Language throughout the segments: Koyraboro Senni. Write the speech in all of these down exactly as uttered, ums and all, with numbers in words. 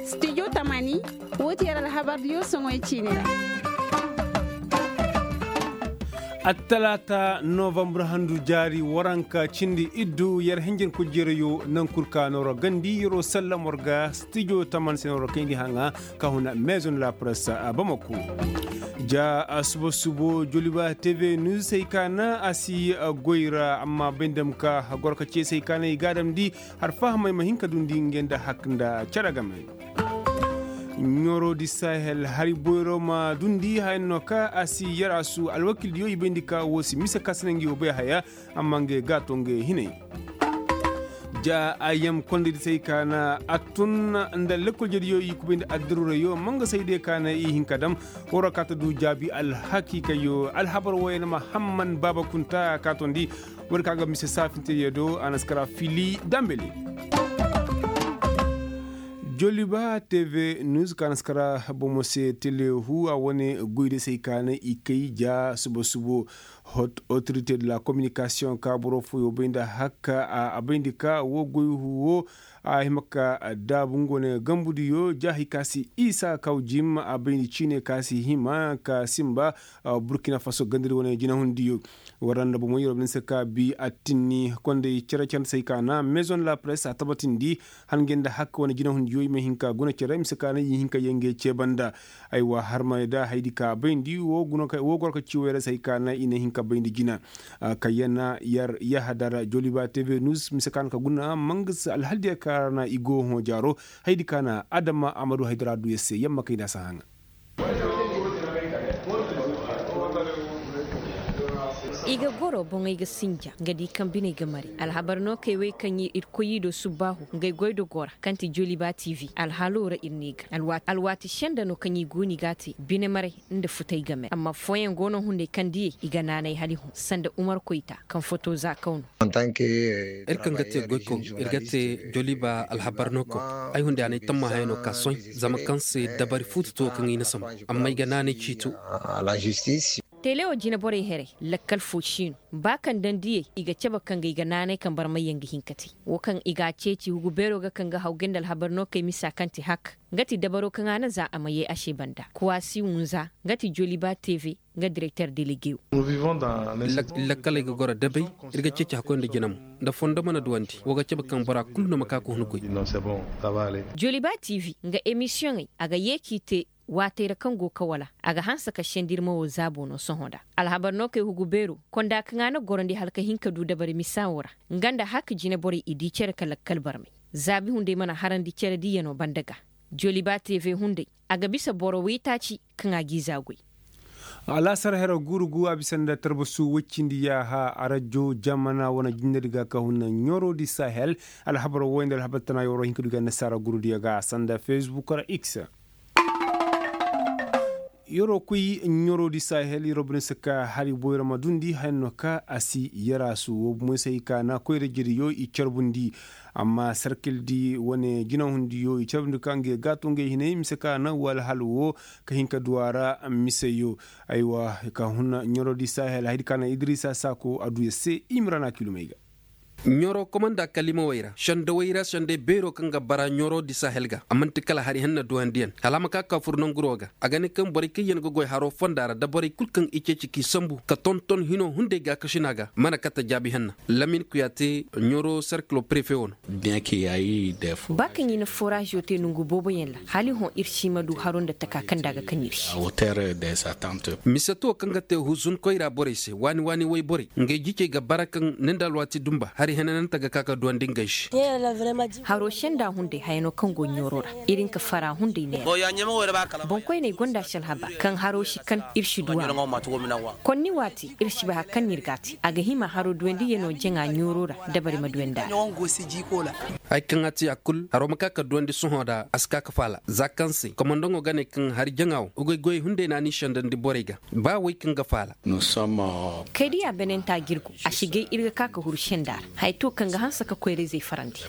Studio tamani, wo ti yer alhabar diyo soŋoy ciine ra. Attalaata novambar handu jaari waranka cindi iddu yer hinjin kujjerayo naŋ kul ka nooro gandi yeroo sallam war ga studio tamani se nooro kayndi haŋa ka huna maison la presse a bamako. Ja a suba subo joliba tv news hay ka na a si goy ra amma bay ndam ka goro ka ceesay ka na i ga a damndi har fahamay ma hin ka dundi ngey nda hak nda cere game. Ɲoro di sahel hari boyro ma dundi hayan no ka a si yar a su alwakil diyo i bayndi ka wo si mise ka si na ngi wo bay haya. Amma ngey ga to ngey hinay ja a yam kondey di se ay ka na a tun nda lekkol jediyo i kubay nda addaruurayo ma nga sayde ka na i hin ka dam. War ra ka ta du jaabi alhakiikayyo alhabar wooyaŋ mahamman baaba kunta ka tondi. War ka ga mise saafinteyyo do a na si kara fili dambele. Joliba tv news ka na si kara bomo se telehu a wane goy di se ay ka na i kay ja subo subo. Hot autorité de la communication ka boro fooyo bay nda hakka a bay nda ka wo goy huwo. A hima ka daabu nga wane gambudiyo jaahi ka si isa kaw jim a bay nda ciine ka si hima ka simba. Burkina faso gandari wane jinahundiyo. War ra nda bomo yer wo bay nda se ka bi attinni kondey cere cere se ay ka na maison la presse a tabatindi. Hangey nda hakka wane jinahundiyo i ma hin ka guna cere mise ka na i hin ka yee ngey cee banda. Aywa harmay da haydi ka bayndi wo goro ka ci wayra se hay ka na i na hin ka bayndi jina. Kayyana yar yahadar joliba tv news mise ka na ka guna mangasa alhaldiya ka na i go hõ jaaro. Haydi ka na adama amadu haydara du yar se yamma kay nda a si haŋa. I ga goro boŋey ga sinja nga di kaŋ biney ga mari alhabar no kay wey kaŋ ir koy i do subbaahu ngey goy do gora kaŋ ti joliba tv alhalo ra ir ne ga alwaati senda no kaŋ i go no i ga a te bine maray nda futay game amma fooyaŋ go no hunday kaŋ diyey i ga naanay hala i hõ sanda umar koyta kaŋ foto za kaw no. Ir kaŋ ga te goykaw ir ga te joliba alhabar no kaw ay hunday a na ay tamma hayano ka soy zama kaŋ se dabari fuutu to kaŋ i na sambu amma ay ga naanay ciito. Tele wo jine borey heray lakkal fo si no ba kaŋ daŋ diyey i ga cabe kaŋ ga i ga naanay kaŋ barmayyaŋ ga hin ka te wo kaŋ i ga a ceeci hugu beero ga kaŋ ga haw gay nda alhabar no kay misa kaŋ ti hak nga ti dabaro kaŋ a na za a ma yee a se banda kuwaasi wunza nga ti joliba tv nga direkter delegeyo. Lakkaley ga goro dabay ir ga ceeci hakkoy nda jina mo nda fondo mana duwandi wo ga cabe kaŋ bora kulu no ma ka ka hun goy. Joliba tv nga emisiyoŋey a ga yee k'i te waatey ra kaŋ go ka wala a ga hanse ka sendiri ma wo zaabo no sohõ nda alhabar no kay hugu beero konda kaŋ a na gorandi hala ka hin ka du dabari misa wo ra nga nda haka jine borey i di cere ka lakkal barmay zaabi hunday mana harandi cere diyanoo banda ga. Joliba tv hunday a ga bisa boro waytaaci kaŋ a g'i zaagoy. Alaasar hero gurugu a bisa nda tarbasu woy cindi yaaha arajo jamana wane jindedi ga ka hunna ɲoro di sahel. Alhabar woy nda alhabar tana yoro hinka du ga nasaara gurudiyo ga sanda facebook ra x. Yeroo koy ɲoroo di sahel yeroo bine si ka hari boyra ma dundi haya no ka a si yera su wo bumo se i ka na koyra jediyo i carbundi. Amma sarkil di wane jinahundiyo i carbundi ka ngey gaato ngey hinay mise ka na wala hal wo ka hin ka duwa ra miseyo. Aywa ka hun ɲoroo di sahel haydi ka na idrisa sako a du ya se i ma ra na kilumey ga. Ɲoro komanda kalimawey ra sendawey ra sendey beeroo kaŋ ga bara ɲoro di sahel ga a man'ti kala hari henna duwandiyaŋ hala a ma ka ka fur nanguroo ga. A ga ne kaŋ borey kaŋ yaŋ ga goy haroo fonda ra nda borey kul kaŋ i ceeci k'i sambu ka tonton hinoo hunday gaakasina ga mana kate jaabi henna. Lamin kuyaate ɲoro serkilo prefe wo no. Ba kaŋ i na foraazoo te nongu booboyaŋ ra hala i hõ ir si ma du haroo nda taka kaŋ nda a ga kaŋ ir se. Mise tuwo kaŋ ga te huzun koyra borey se waani waani woy borey ngey jicey ga bara kaŋ ni nda alwaati dumba hari henanante ga ka ga duwandi ngey se. Haroo senda hunday haya no kaŋ go ɲooro ra. Iri nka fara hunday neera. Boŋkoyney gonda si alhabar kaŋ haroo si kan ir si duwa. Konni waati ir si bay hari kaŋ no ir ga a te a ga hima haroo duwandiyano jaŋa ɲooro ra dabari ma duwandi a ra. Hari kaŋ a te a kul haroo ma ka ka duwandi sohõ nda a si ka ka faala za kaŋ se komandaŋo ga ne kaŋ hari jaŋa wo goy goy hunday no a n'i sendandi borey ga. Ba wey kaŋ ga faala. Kay diya benenta jirgu a si gay ir ga ka ka huru senda ra. Haya to kaŋ ga hanse ka koyra-izey farandi.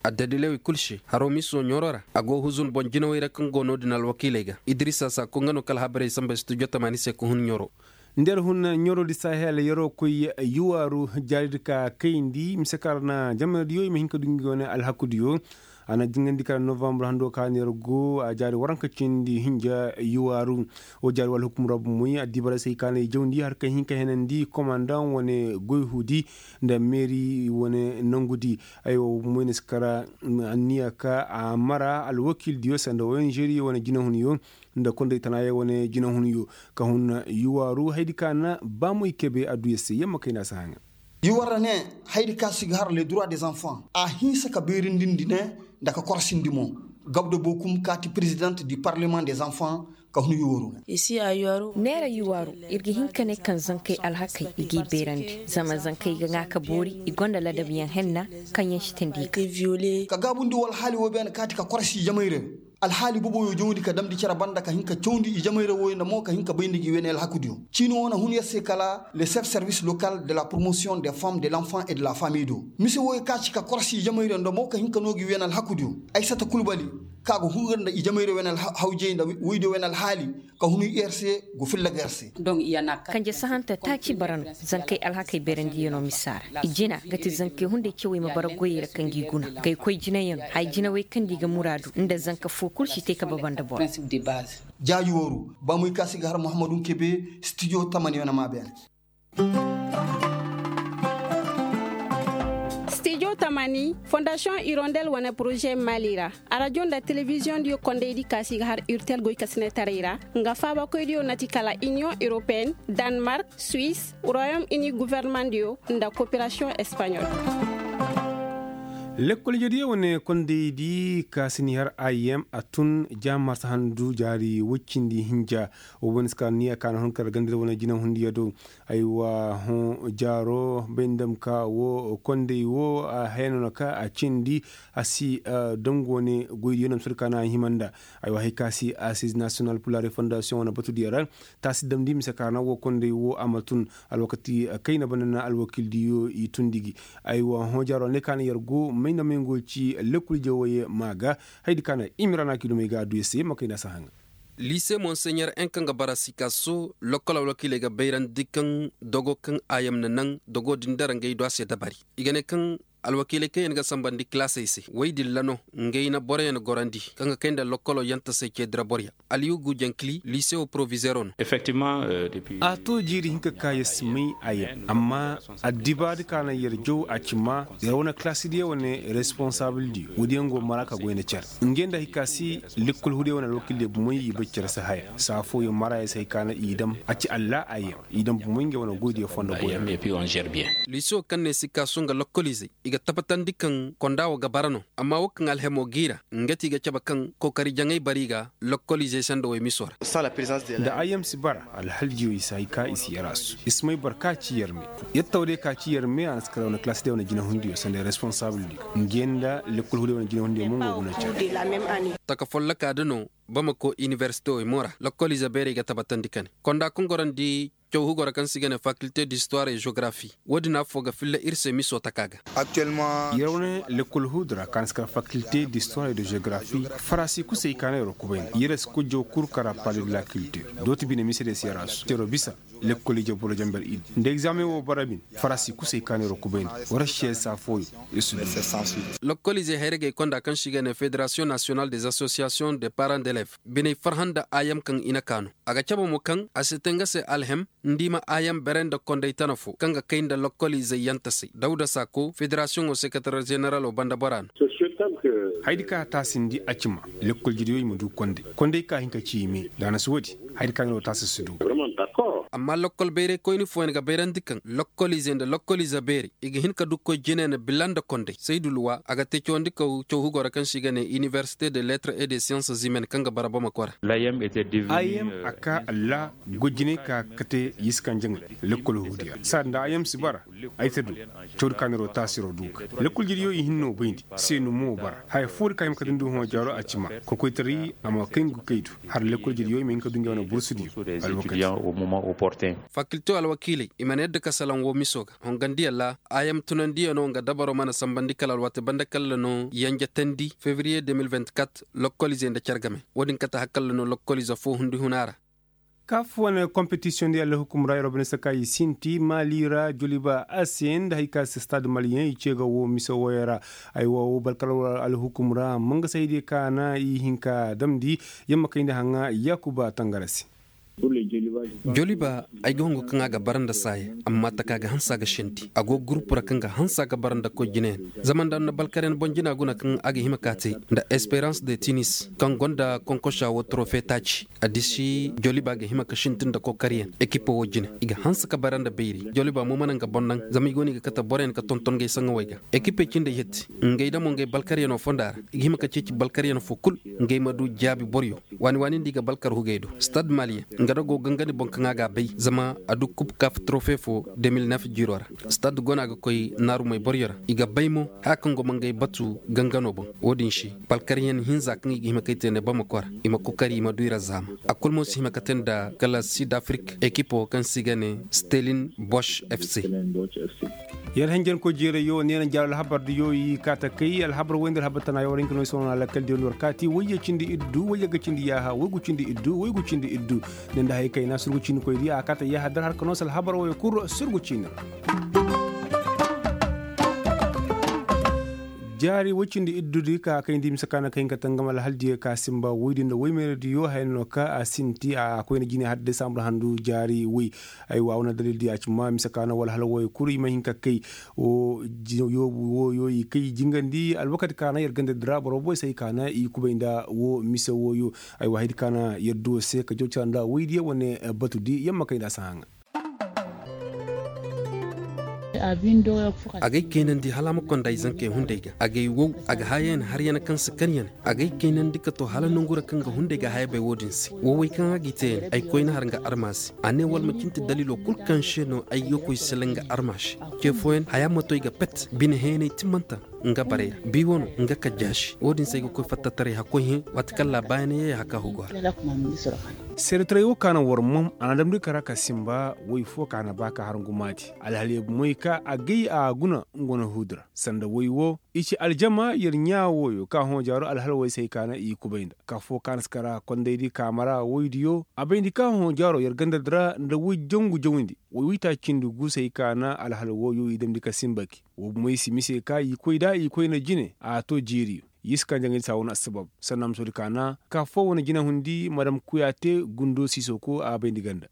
Addadilawey kul se haroo miso ɲooro ra a go huzun boŋ jinawey ra kaŋ go no-din alwakiiley ga idrisa sako nga no kala habarey samba studio tamaani se ka hun ɲooro. Nda yer hun ɲaroodi sahel yeroo koy yuwaaru jaaridi ka kayndi mise kaŋ ra na jamanadiyo i ma hin ka du ngi wane alhakudiyo. A na jingandi kala novambar hando ka na yer go a jaari waranka cindi hinja yuwaaru. Wo jaari wala hukum ra bumoy addibaray se hay ka na i jawndi har ka hin ka henandi komandaŋ wane goy huudi nda meeri wane nangudi. Aywa bumoy na si kara anniya ka a mara alwakiildiyo sanda ong wane jinahunyo nda konday tanaayaŋ wane jinahunyo ka hun yuwaaru haydi ka na baamoy kebe adduya se yamma kayna si haŋa. Yuwar ne haydi ka si ga har le droit des enfants a hinsa ka beerindindi ne nda ka korsindi mo. Gabdo bokum kaati présidente du parlement des enfants ka hun yuwaru. Neera yuwaaru ir ga hin ka ne kaŋ zankey alhakey i g'i beerandi zama zankey ga ŋaa ka boori i gonda ladabyaŋ henna kaŋ yaŋ si teendi i ga. Ka gaabundi woo alhaali woo beene kaati ka korsi i jamayra. Alhaali boboyo jawndi ka damndi cere banda ka hin ka cawndi i jamayra wooyo nda mo ka hin ka bayndi ngi weeney alhakudiyo. Ciini woo na hun yer se kala le chef service local de la promotion des femmes de l'enfant et de la famille do mise wooyo ka ci ka korsi i jamayra nda mo ka hin ka noo ngi weeney alhakudiyo. Aysata kulbali ka go hungar nda i jamayra weeney hawjey nda woydiyo weeney alhaali ka hun yer se go filla ga yer se. Kanje sahante taaci bara no zankey alhakey beerandiyanoo misa ra i jina ga ti zankey hunday cewey ma bara goyey ra ka ngi guna gay koy jinayanoo haya jinawey kaŋ nda i ga muraadu nda zanka foo kul si te ka baba nda boro. Jaaji wooru baamoy ka si ga har muhammadu nkebe stijo tamani wane maa beene. Stijo tamani fondasiyoŋ irondel wane poroze maali ra arajo nda telebiziyoŋ diyo kondaydi ka si ga har urtel goykasinetaray ra nga faabakoydiyo na ti kala iniyoŋ europeen, danmark, suwis, royom ini gofornamaŋ diyo nda koperasiyoŋ espaɲol. Lekkol jediyo wane kondaydi ka si ni har ayem a tun ja marsa handu jaari woy cindi hinja. Wo wane si ka niya ka na hun kar gandira wane jinahundiyo do. Aywa hõ jaaro bay nda ma ka wo konday wo a haya no na ka a cindi a si dangu wane goydiyo no ma si du ka na a hima nda. Aywa hay ka si assize national pour la refondation wane batudiyo ra. Taasi damndi mise ka ra na wo konday wo a ma tun alwakati kayna banda na alwakiildiyo i tundi gi. Aywa hõ jaaro ne ka na yer go may nda may ngo ci lekkol jawey ma ga. Haydi ka na imira na kidumey ga adduya se ma kayna si haŋa. Liise monseɲer en kaŋ ga bara sikaso lokkol alwakiiley ga bayrandi kaŋ dogo kaŋ a yam na naŋ dogo din dara ngey do a se dabari. I ga ne kaŋ alwakiiley kaŋ yaŋ ga sambandi kilaasey se woy din ra no ngey na boroyaŋ gorandi kaŋ ga kay nda lokkolo yantasey ceedira boroyaŋ. Aliyugu jankili liise wo porovizeero no. A to jiiri hinka ka yer si may a yam amma addibaadi ka naŋ yer jaw a ci ma yer wane kilaasidiyo wane responsabildiyo woodiyaŋ go mara ka goy nda cere. Ngey nda hay ka si lekkol huudiyo wane alwakiildiyo bomey i bay cere si haya saa fooyaŋ mara yer si hay ka naŋ i dam a ci alla a yam i dam bomey ngey wane goydiyo fondo goyra. Liiso kaŋ ne si kaasu nga lokkoliizey i ga tabbatandi kaŋ konda wo ga bara no. Amma wo kaŋ alhemo g'i ra nga ti i ga cabe kaŋ kookari jaŋay bari ga lokkoliizey sanda woy miso ra. Nda a yam si bara alhaljiyo i si hay ka i si yaraasu i si may boro ka ci yarme. Yattaw day ka ci yarme a na si kara wane kalaasi day wane jinahundiyo sanda responsabildiyo. Ngey nda lekkol huudiyo wane jinahundiyo mo nga guna care. Taka folloka da no bamako iniversite wo i mo ra lokkoliize beerey ga tabatandi ka ne konda kaŋ gorandi caw hugo ra kaŋ se i ga ne fakilte distuwar e geografi. Wo-din affoo ga filla ir se miso taka ga. Yer wane lekkol huudu ra kaŋ si kar fakilte distuwar e de geografi. Farasi kusey kaanay ro kubayni yer si kujjaw kul kara pale de la kiltir dooti bine mise de siyarasu tero bisa. Lekkol ije boro jamber idi nda egzaameŋ wo bara bin farasi kusey kaanay ro kubayni. War siyasa fooyo. Yer si du. Lokkol izey hayragey konda kaŋ se i ga ne federasiyoŋ nasiyonal des asosiyasiyoŋ de paran d'elev biney farhã nda ayam kaŋ i na kaa no. A ga cabe mo kaŋ a si te nga se alhem nda i ma ayam bere nda konday tana fo kaŋ ga kay nda lokkol izey yantasey dawda saako federasiyoŋo sekatarer zeneralo banda bora no. Haydi ka taasindi a ci ma lekkol jiriyo i ma du konday konday ka hin ka ci i me da a na si woodi. Haydi ka no taasi si du. Amma lokkol bayray koyni fooyaŋ ga bayrandi kaŋ lokkol izey nda lokkol ize beerey i ga hin ka du koy jine na bila nda konday saydu luwa a ga te cawandi kaw caw hugo ra kaŋ se i ga ne iniversite de lettres et de sciences humaines kaŋ ga bara bamako ra. Ayem a ka alla gojiney ka kate yiskan jaŋay. Lekkol huudiya saadi nda ayem si bara ay ta du. Cawdi kaaniro taasiro du ga lekkol jiriyo i hinno bayndi seenu mo bara haya foodi ka hima ka dindi hõ jaaro a ci ma kokoytaray a ma kay ngu kaydu. Har lekkol jiriyo i ma hin ka du ngey wane bursudiyo. Alwakati. Fakilte alwakiiley i mana yadda ka salaŋ wo miso ga hongandiyaŋ ra. Ayam tunandiyaŋo nga dabaro mana sambandi kala alwaati banda kalla no yanjatandi febriye de mil vingt-quatre. Lokkol izey nda care game wo-din kate hakalla no lokkol ize fo hundi huna ra. Kaf wane kompetisiyoŋ di alhukum ra yer wo bine se ka i sinti maali ra joliba a se nda hari ka se stade maliyeŋ i ce ga wo mise wooyo ra. Aywa wo balkar alhukum ra mangasa hay diyo ka na i hin ka damndi. Yamma kayndi haŋa yaakuba tangara se. Joliba ay ga hongo kaŋ a ga bara nda saaya amma taka ga hanse a ga sinti a go gurupu ra kaŋ ga hanse a ga bara nda koy jinayaŋ. Zama nda na balkaryaŋ boŋ jina guna kaŋ a ga hima ka te nda esperans de tinis kaŋ gonda konkosa wo torofe taaci. A disi joliba ga hima ka sintin nda kokaryaŋ ekipo wo jine i ga hanse ka bara nda bayri joliba mo mana nga boŋ naŋ zama i go no i ga kate boroyaŋ ga tonton gay saŋawey ga. Ekipey cindey hetti ngey damo ngey balkaryaŋo fonda ra i ga hima ka ceeci balkaryaŋ fo kul ngey ma du jaabi boryo. Waani waani nda i ga balkar hugey do stad maliyeŋ nga da go gangani boŋ kaŋ a ga a bay zama a du kub kaf torofe fo de mil nef jiiro ra. Stad go no a ga koy naarumey boryo ra i ga bay mo haya kaŋ go ma ngey batu gangano boŋ. Wo-din se balkaryaŋ hinza kaŋ i ga hima kay te ne bamako ra i ma kokari i ma du i ra zaama. A kul mo si hima ka te nda kala sid afrik ekipo kaŋ se i ga ne stelin bosh fc. Yer hanjankoy jeerayyo neena jaaro alhabar diyo i kaata kay alhabar woy nda alhabar tana yaŋ war hinka no i sohõ na lakkal diyo nda war kaati wayye cindi iddu wayye ga cindi yaaha waygu cindi iddu waygu cindi iddu. Ne nda hay kayna surgu ciinikoy diya a kaata yaaha dar har ka no se alhabar woyo kul surgu ciini ra. Jaari woy cindi iddu di ka kayndi mise ka na ka hin ka tangam alhal diyo ka sinba woy din nda woy meera diyo haya no ka a sinti a koyna jine har desambur handu jaari woy. Aywa wane dalil di a ci ma mise ka na wala hala woyo kulu i ma hin ka kay. Wo yoobu woyo i kay jingandi alwakati ka na yer ganda dira boro boy se ay ka na i kubay nda wo mise woyo. Aywa hay di ka na yer duwo se ka jaw cara nda woy diyo wane batu di yamma kay nda a si haŋa. Agay keenandi hala a ma konda ay zankey hunday ga agay wow a ga haya yaŋ har yaŋ kaŋ si kan yaŋ. Agay keenandi ka to hala nongu ra kaŋ ga hunday ga haya bay wo-din se wo way kaŋ a g'i te yaŋ ay koyna har nga arma se. A ne wala ma cinti dalilo kul kaŋ se no ay ga koy sila nga arma se. Ce fooyaŋ haya ma to ay ga pet bine heenay timmanta nga barey ra bi wano nga kajjaasi wo-din se ay ga koy fattataray hakkoy hẽ waati kaŋ laabaayana yay haka hugo ra. Seedetaray wo ka na war mom a na damndi kara ka sinba woy fo ka na ba ka har ngumaati. Alhaliya bumey ka a gay a guna nga wane huudi ra sanda woy wo i ci aljama yer ɲaa woyo ka hõ jaaro alhal woy se ay ka na i kubay nda ka fo ka na si kara kondaydi kaamara woydiyo a bayndi ka hõ jaaro yer gandadi ra nda woy jangu jawndi woy woytaaci cindi gu se ay ka na alhal woyo i damndi ka sinba ki. Wo bumey si mise ka i koy da i koyna jine a to jiiriyo. Yee si kaŋ jaŋay di se a wane assabab sanna musoodi kaana ka foo wane jinahundi madam kuyaate gundo siisoko a bayndi ganda.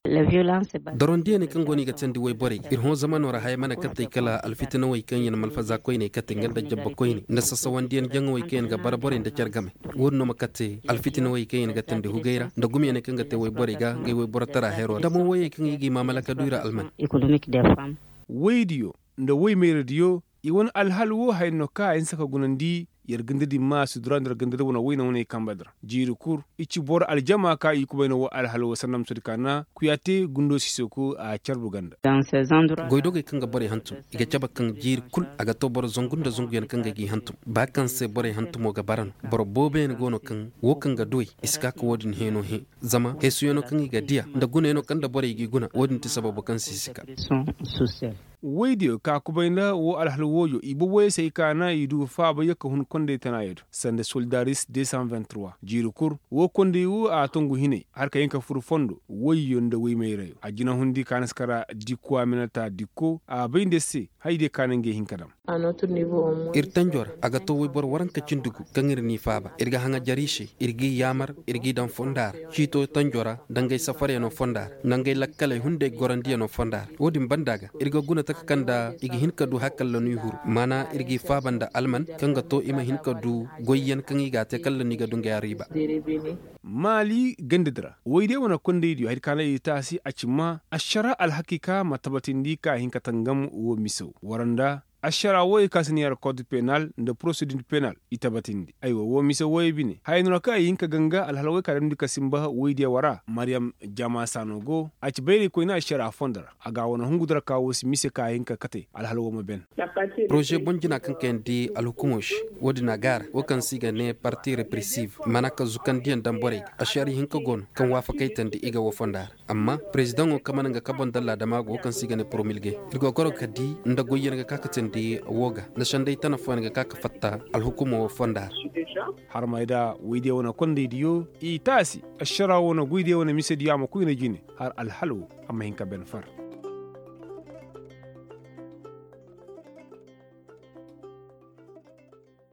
Dorondiyaney kaŋ go no i ga teendi woyborey ir hõ zamano ra haya mana kattey kala alfitinawey kaŋ yaŋ malfaza koyney kate nga nda jabba koyney nda sasawandiyaŋ jaŋawey kaŋ yaŋ ga bara borey nda care game. Wo-din no ma kate alfitinawey kaŋ yaŋ ga teendi hugey ra nda gumiyaney kaŋ ga te woyborey ga ngey woyborotara hero ra damo woyey kaŋ i g'i maamalaka du i ra alman. Woydiyo nda woy mayradiyo i wane alhal wo haya no ka a hinsa ka gunandi. Yer ganda din ma a si dura nda yer ganda din wane wayna waney kamba din ra jiiri kul. I ci boro aljama ka i kubay no wo alhal wo sanda ma sodi ka na kuyaate gundo siisoko a carbu ganda. Goydogey kaŋ ga borey hantum i ga cabe kaŋ jiiri kul a ga to boro zangu nda zanguyaŋ kaŋ ga g'i hantum ba kaŋ se borey hantumo ga bara no. Boro booboyaŋ go no kaŋ wo kaŋ ga duwey i si ka ka wo-din heeno hẽ. Zama heesuyaŋo kaŋ i ga diya nda gunayaŋo kaŋ nda borey g'i guna wo-din ti sababo kaŋ se i si ka. Woydiyo ka kubay nda wo alhal wooyo i boboyey se ay ka na i du faabayyo ka hun kondey tanaayo do sanda soldaris deux cent vingt-trois jiiri kul. Wo kondey wo a tongu hinay har ka hin ka fur fondo woyyo nda woymayrayo a jinahundi ka na si kara dikko a minata dikko a bay nda yer se. Hayadiyo ka na ngey hin ka dam. Ir tanjo ra a ga to woyboro waranka cindi gu kaŋ ir n'i faaba ir ga haŋa jari se ir g'i yaamar ir g'i daŋ fonda ra ciito tanjo ra dangay safaryaŋo fonda ra nangay lakkaley hunday gorandiyaŋo fonda ra wo-din banda ga ir ga guna taka kaŋ nda i ga hin ka du hakalla no i huru maana ir g'i faaba nda alman kaŋ ga to i ma hin ka du goyyaŋ kaŋ i g'a te kalla no i ga du ngey a riiba. Maali ganda di ra woy day wane kondaydiyo hari kaŋ a na i taasi a ci ma ašara alhakiika ma tabatindi ka hin ka tangam wo misew waranda. Ašara woyey kaŋ se ni yar kod penal nda porosedid penal i tabatindi aywa wo mise woyey bine haya no ra kaŋ i hin ka ganga alhala woy ka damndi ka sinba woydiyo wara mariyam jama saano go a ci bayraykoyna ašara fondo ra a ga a wane hungu di ra ka wo si mise ka a hin ka kate alhala wo ma ben. Poroze boŋ jina kaŋ kayandi alhukumo se wo-din a gaara wo kaŋ se i ga ne parti represiv mana ka zukandiyaŋ daŋ borey ga ašari hinka go no kaŋ waafakaytandi i ga wo fonda ra. Amma perezidaŋo kaŋ mana nga kaboŋ dalla dama go wo kaŋ se i ga ne poromilge ir go goro ga ka di nda goyyaŋ ga ka ka te. Di woo ga nda senday tana fooyaŋ ga ka ka fatta alhukumo woo fonda ra. Harmay da woydiyo wane kondaydiyo i taasi. Ašaraa wane goydiyo wane misediyo a ma koyna jine har alhal woo a ma hin ka ben far.